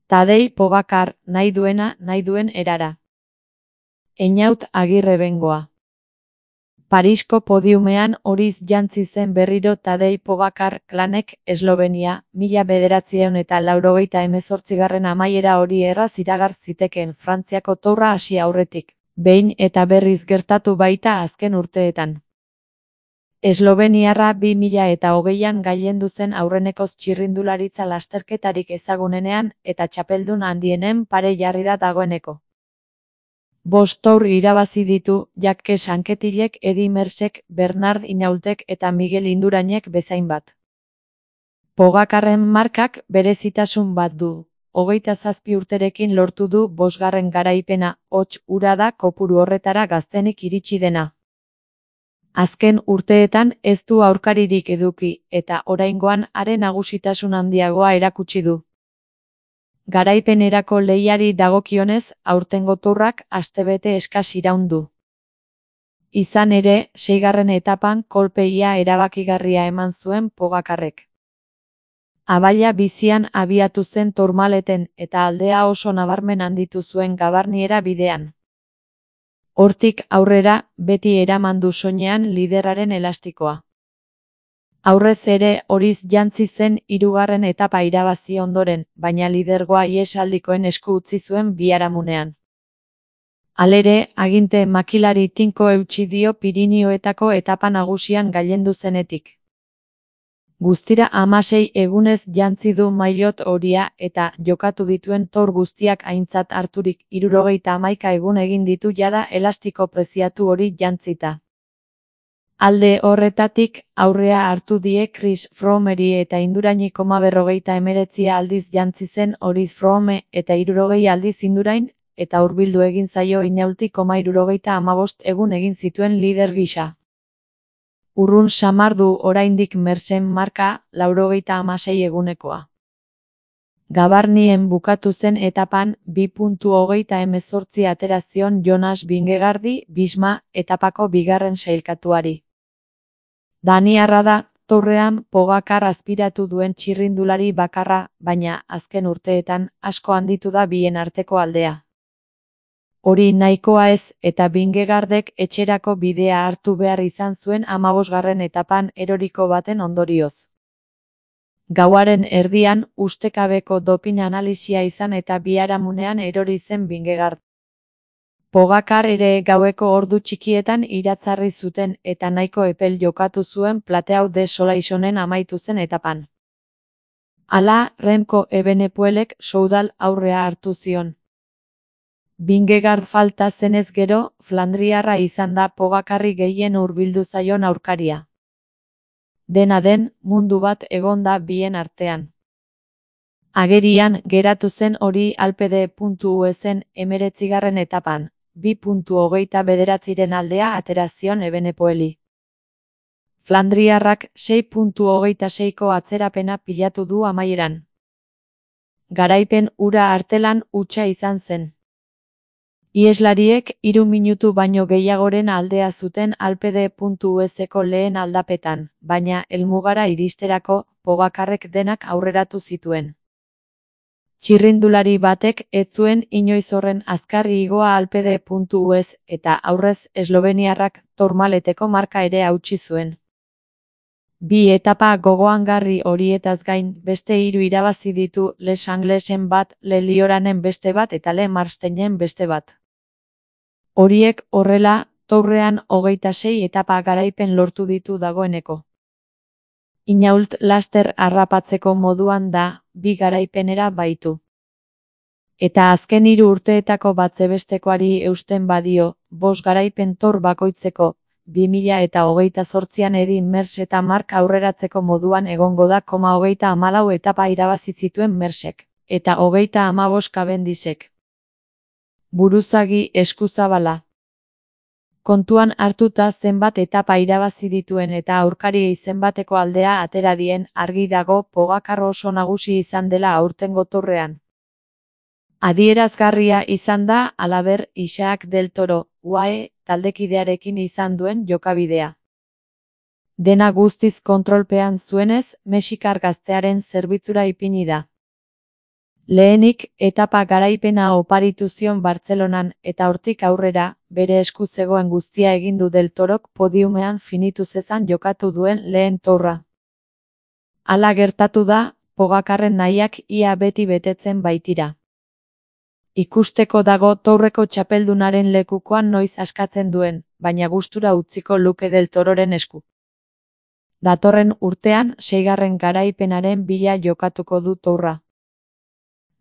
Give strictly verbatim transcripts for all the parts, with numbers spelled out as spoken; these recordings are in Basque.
Tadei Pogacar, nahi duena, nahi duen erara. Einaut Agirre Bengoa. Parisko podiumean horiz jantzi zen berriro Tadei Pogacar klanek Eslovenia, mila bederatziehun eta laurogeita hemezortzigarren amaiera hori erraz iragar zitekeen Frantziako tourra hasi aurretik, behin eta berriz gertatu baita azken urteetan. Esloveniarra bi mila eta hogeian gailendu zen aurrenekoz txirrindularitza lasterketarik ezagunenean eta txapeldun handienen pare jarri da dagoeneko. Bost tour irabazi ditu Jacques Anquetilek, Eddy Merckxek, Bernard Hinaultek eta Miguel Indurainek bezain bat. Pogacarren markak berezitasun bat du. Hogeita zazpi urterekin lortu du bosgarren garaipena, hots hura da kopuru horretara gaztenik iritsi dena. Azken urteetan ez du aurkaririk eduki, eta oraingoan haren nagusitasun handiagoa erakutsi du. Garaipenerako lehiari dagokionez, aurtengo tourrak astebete eskas iraun du. Izan ere, seigarren etapan kolpe ia erabakigarria eman zuen Pogacarrek. Abaila bizian abiatu zen Tourmaleten eta aldea oso nabarmen handitu zuen Gavarniera bidean. Hortik aurrera, beti eraman du soinean liderraren elastikoa. Aurrez ere horiz jantzi zen hirugarren etapa irabazi ondoren, baina lidergoa ihesaldikoen esku utzi zuen biharamunean. Halere, aginte makilari tinko eutsi dio Pirinioetako etapa nagusian gailendu zenetik. Guztira hamasei egunez jantzi du maillot horia eta jokatu dituen tour guztiak aintzat harturik hirurogeita hamaika egun egin ditu jada elastiko preziatu hori jantzita. Alde horretatik, aurrea hartu die Chris Froomeri eta Induraini koma berrogeita hemeretzia aldiz jantzi zen horiz Froome eta hirurogei aldiz Indurain, eta hurbildu egin zaio Hinaulti koma hirurogeita hamabost egun egin zituen lider gisa. Urrun samar du oraindik Merckxen marka, laurogeita hamasei egunekoa. Gavarnien bukatu zen etapan, bi puntu hogeita hemezortzi atera zion Jonas Vingegaardi, Bisma, etapako bigarren sailkatuari. Daniarra da, tourrean Pogacar azpiratu duen txirrindulari bakarra, baina azken urteetan asko handitu da bien arteko aldea. Hori nahikoa ez, eta Vingegaardek etxerako bidea hartu behar izan zuen hamabosgarren etapan eroriko baten ondorioz. Gauaren erdian, ustekabeko dopin analisia izan eta biharamunean erori zen Vingegaard. Pogacar ere gaueko ordu txikietan iratzarri zuten eta nahiko epel jokatu zuen Plateau de Solaisonen amaitu zen etapan. Hala, Remco Evenepoelek Soudal aurrea hartu zion. Vingegaard falta zenez gero, Flandriarra izan da Pogacarri gehien hurbildu zaion aurkaria. Dena den, mundu bat egon da bien artean. Agerian geratu zen hori Alpede puntu U S-en emeretzigarren etapan, bi puntu hogeita bederatziren aldea atera zion Evenepoeli. Flandriarrak sei puntu hogeita seiko atzerapena pilatu du amaieran. Garaipen hura artelan hutsa izan zen. Iheslariek hiru minutu baino gehiagoren aldea zuten Alpede puntu U S-eko lehen aldapetan, baina helmugara iristerako Pogacarrek denak aurreratu zituen. Txirrindulari batek ez zuen inoiz horren azkar igoa Alpede puntu U S eta aurrez Esloveniarrak Tourmaleteko marka ere hautsi zuen. Bi etapa gogoangarri horietaz gain, beste hiru irabazi ditu Les Anglesen bat, Le Lioranen beste bat eta Le Marsteinen beste bat. Horiek horrela, tourrean hogeita sei etapa garaipen lortu ditu dagoeneko. Hinault laster harrapatzeko moduan da, bi garaipenera baitu. Eta azken hiru urteetako batzebestekoari eusten badio, bost garaipen tour bakoitzeko, bi mila eta hogeita zortzian Eddy Merckx eta Mark aurreratzeko moduan egongo da koma hogeita hamalau etapa irabazi zituen Merckxek, eta hogeita hamabost Cavendishek. Buruzagi eskuzabala. Kontuan hartuta zenbat etapa irabazi dituen eta aurkariei zenbateko aldea atera dien, argi dago Pogacar oso nagusi izan dela aurtengo tourrean. Adierazgarria izan da, halaber, Isaac del Toro, U A E, taldekidearekin izan duen jokabidea. Dena guztiz kontrolpean zuenez, mexikar gaztearen zerbitzura ipini da. Lehenik, etapa garaipena oparitu zion Bartzelonan eta hortik aurrera, bere esku zegoen guztia egin du Del Torok podiumean finitu zezan jokatu duen lehen tourra. Hala gertatu da, Pogacarren nahiak ia beti betetzen baitira. Ikusteko dago tourreko txapeldunaren lekukoan noiz askatzen duen, baina gustura utziko luke Del Tororen esku. Datorren urtean, seigarren garaipenaren bila jokatuko du tourra.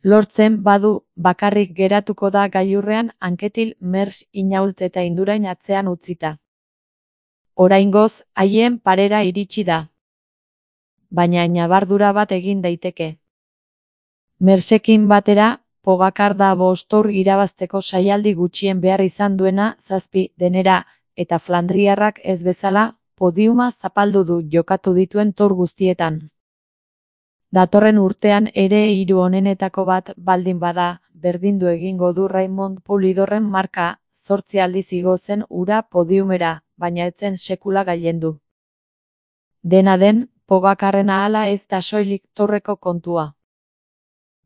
Lortzen badu, bakarrik geratuko da gailurrean Anquetil, Merckx, Hinault eta Indurain atzean utzita. Oraingoz, haien parera iritsi da. Baina ñabardura bat egin daiteke. Merckxekin batera, Pogacar da bost tour irabazteko saialdi gutxien behar izan duena zazpi denera, eta flandriarrak ez bezala, podiuma zapaldu du jokatu dituen tour guztietan. Datorren urtean ere hiru onenetako bat baldin bada, berdindu egingo du Raymond Poulidorren marka, zortzi aldiz igo zen ura podiumera, baina etzen sekula gailendu. Dena den, Pogacarren ahala ez da soilik tourreko kontua.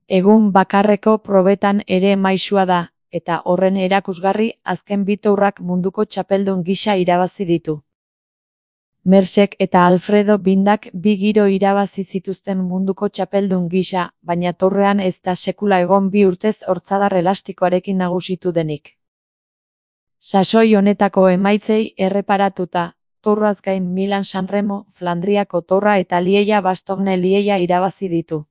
Egun bakarreko probetan ere maisua da, eta horren erakusgarri azken bi tourrak munduko txapeldun gisa irabazi ditu. Merckxek eta Alfredo Bindak bi giro irabazi zituzten munduko txapeldun gisa, baina tourrean ez da sekula egon bi urtez hortzadar elastikoarekin nagusitu denik. Sasoi honetako emaitzei erreparatuta, tourraz gain Milan-San Remo, Flandriako tourra eta Lieja-Bastogne-Lieja irabazi ditu.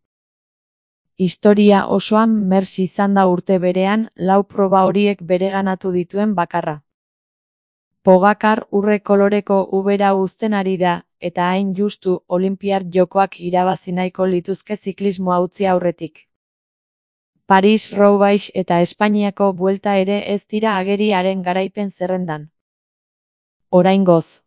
Historia osoan Merckx izan da urte berean lau proba horiek bereganatu dituen bakarra. Pogacar urre koloreko ubera uzten ari da, eta hain justu Olinpiar Jokoak irabazi nahiko lituzke ziklismoa utzi aurretik. Paris-Roubaix eta Espainiako Buelta ere ez dira ageri haren garaipen zerrendan. Oraingoz.